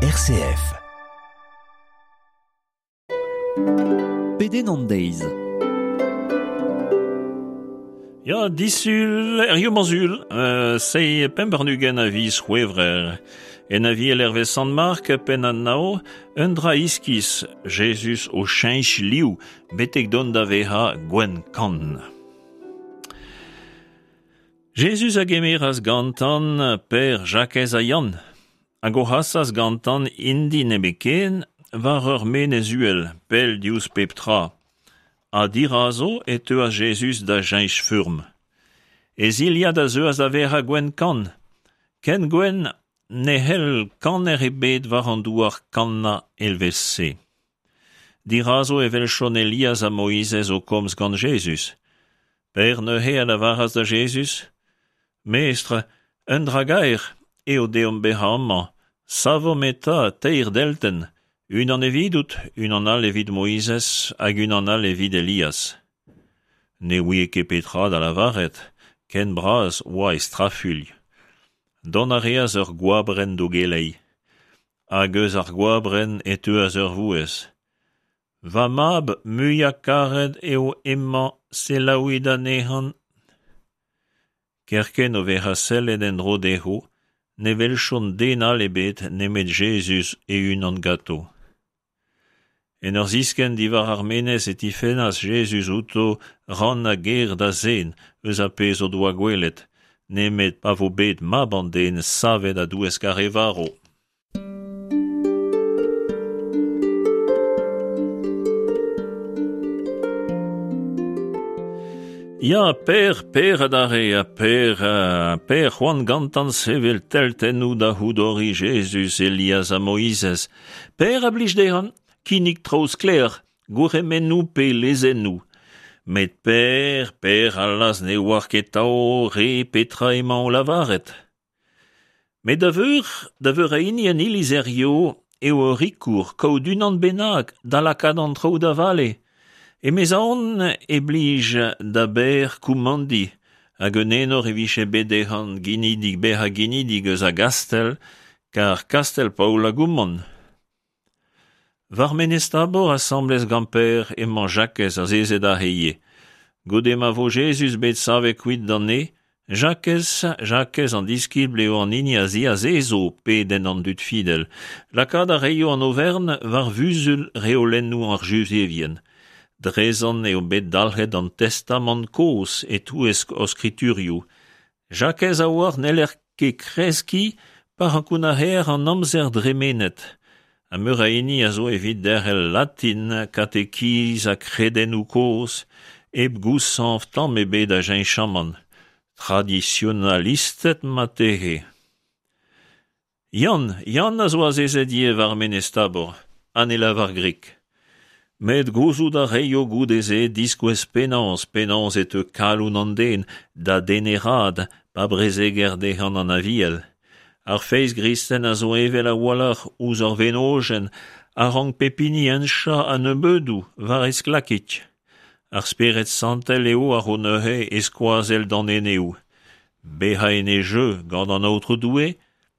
RCF. Pedenn an deiz. Ya, disul, er sul, euh, sei pemp warn-ugent a viz C'hwevrer. En aviel hervez Sant Mark, penn an nao, un dra iskis, Jezuz o cheñch liv, betek dont da vezañ gwenn kann. Jezuz a gemeras gantan Per, Jakez ha Yann, hag o c'hasas gantan int-i nemetken war ur menez uhel, pell diouzh pep tra. Ha dirazo e teuas Jezuz da cheñch furm. E zilhad a zeuas da vezañ gwenn-kann, ken gwenn ne c'hell kaner ebet war an douar kannañ evel-se. Dirazo e welchont Elias ha Moizez o komz gant Jezuz. Per neuze a lavaras da Jezuz: Mestr, un dra gaer eo deomp bezañ amañ, savomp eta teir deltenn, unan evidout, unan all evit Moizez hag unan all evit Elias. Ne ouie ket petra da lavaret, ken bras oa e strafuilh. Dont a reas ur goabrenn d'o geleiñ. Hag eus ar goabrenn e teuas ur vouezh. Va mab muiañ-karet eo hemañ, selaouit anezhañ. Kerkent o vezañ sellet en-dro dezho, ne welchont den all ebet nemet Jezuz e-unan ganto. En ur ziskenn diwar ar menez e tifennas Jezuz outo rannañ ger da zen eus ar pezh o doa gwelet, nemet pa vo bet Mab an Den savet a-douesk ar re varv. Ya, Per, Per adarre, ha Per, Per c'hoant gantan sevel teltennoù da c'houdoriñ Jezuz, Elias ha Moizez. Per a blij dezhañ kinnig traoù sklaer, gourc'hemennoù pe lezennoù. Met Per, Per allaz ne oar ket 'tav re petra emañ o lavaret. Met da veur, da veur a hini en iliz hiziv eo ur rikour kaout unan bennak da lakaat an traoù da vale. Emezaon e blij da Ber koumandiñ hag un enor e vije bet dezhañ ginidik bezañ ginidik eus a Gastell kar Kastell-Paol a goumand. War Menez Tabor asambles gant Per emañ Jakez azezet aze ivez. Goude ma vo Jezuz bet savet kuit d'an neñv, Jakez, Jakez an diskibl eo an hini a ziazezo pedenn an dud fidel. Lakaat a raio an overn war vuzul reolennoù ar Juzevien. Drezan eo bet dalc'het an Testamant kozh e-touesk o skriturioù. Jakez a oar n'heller ket kreskiñ pa ankounac'haer an amzer dremenet, ha meur a hini a zo evit derc'hel latin, katekiz ha kredennoù kozh, hep gouzañv tamm ebet a cheñchamant, tradisionalisted marteze. Yann, Yann a zo azezet ivez war Menez Tabor, ha ne lavar grik. Met gouzout a reio goude-se diskouez penaos, penaos e teu kalon an den da deneraat pa brezeger dezhañ an Aviel. Ar feiz gristen a zo evel a-walc'h ouzh ur wenojenn a rank pep hini henchañ a-nebeudoù war e sklakig. Ar Spered Santel eo a ro neuze e skoazell d'an eneoù. Bezañ en e jeu gant an Aotrou Doue,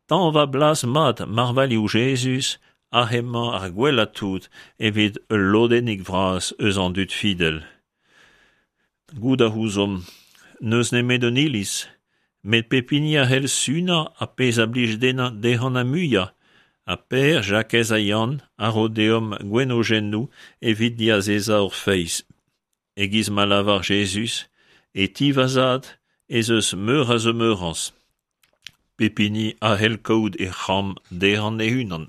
Tañva blaz mat marvailhoù Jezuz ha hemañ ar gwellañ tout evit ul lodennig vras eus an dud fidel. Goût a ouzomp n'eus nemet un iliz, met pep hini a c'hell sunañ ar pezh a blij dezhañ ar muiañ, ha Per, Jakez ha Yann a ro deomp gwenojennoù evit diazezañ hor feiz. E-giz ma lavar Jezuz, e ti va zad ez eus meur a zemeurañs. Pep hini a c'hell kaout e c'hambr dezhañ e-unan.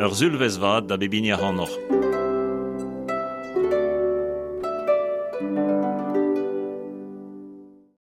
Ur sulvezh vat da bep hini ac'hanoc'h.